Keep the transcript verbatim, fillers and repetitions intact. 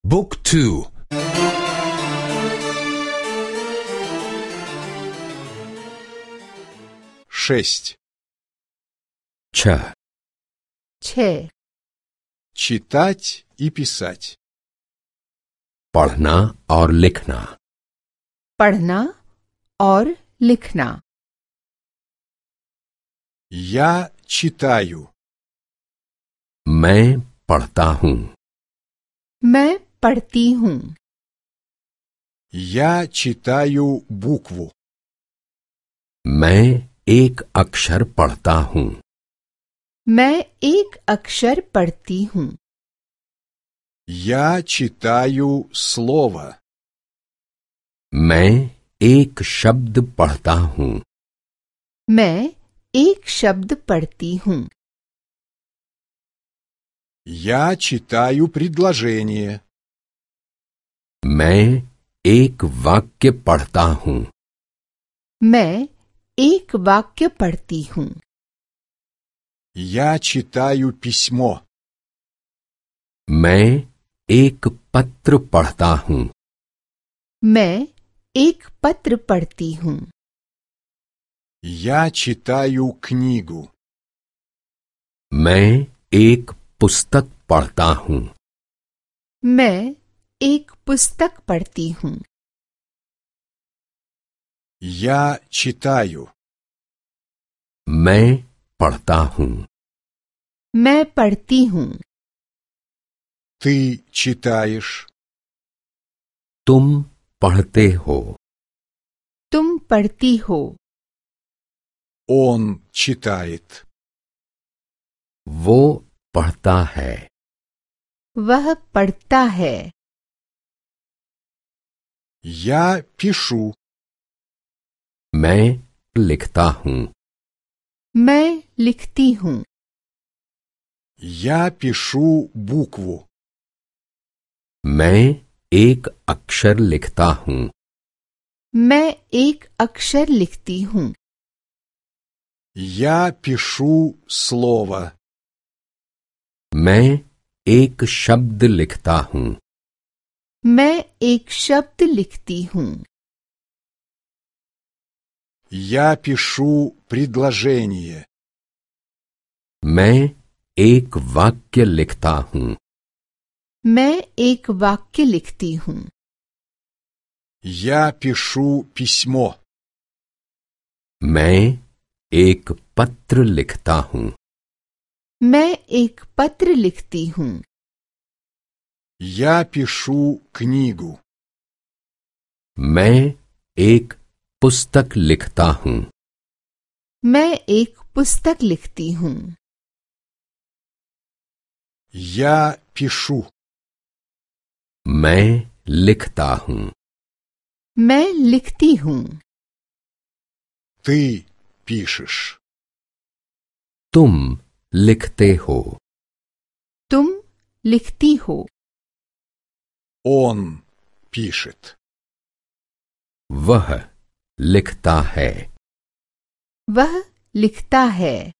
Book two. Шесть. Ч. छः Читать и писать. पढ़ना और लिखना. पढ़ना और लिखना। Я читаю. मैं पढ़ता हूँ. मैं पढ़ती हूँ। Я читаю букву. मैं एक अक्षर पढ़ता हूँ. मैं एक अक्षर पढ़ती हूँ। Я читаю слово. मैं एक शब्द पढ़ता हूँ. मैं एक शब्द पढ़ती हूँ। Я читаю предложение. मैं एक वाक्य पढ़ता हूँ. मैं एक वाक्य पढ़ती हूँ। Я читаю письмо. मैं एक पत्र पढ़ता हूँ. मैं एक पत्र पढ़ती हूँ। Я читаю книгу. मैं एक पुस्तक पढ़ता हूँ. मैं एक पुस्तक पढ़ती हूँ। Я читаю. मैं पढ़ता हूँ. मैं पढ़ती हूँ। Ты читаешь. तुम पढ़ते हो. तुम पढ़ती हो। Он читает. वो पढ़ता है. वह पढ़ता है। Я пишу. मैं लिखता हूँ. मैं लिखती हूँ। Я пишу букву. मैं एक अक्षर लिखता हूँ. मैं एक अक्षर लिखती हूँ। Я пишу слово. मैं एक शब्द लिखता हूँ. मैं एक शब्द लिखती हूँ। Я пишу предложение. मैं एक वाक्य लिखता हूँ. मैं एक वाक्य लिखती हूँ। Я пишу письмо. मैं एक पत्र लिखता हूँ. मैं एक पत्र लिखती हूँ। Я пишу книгу. मैं एक पुस्तक लिखता हूँ. मैं एक पुस्तक लिखती हूँ। Я пишу. मैं लिखता हूँ. मैं लिखती हूँ। Ты пишешь. तुम लिखते हो. तुम लिखती हो। Он пишет. वह लिखता है. वह लिखता है।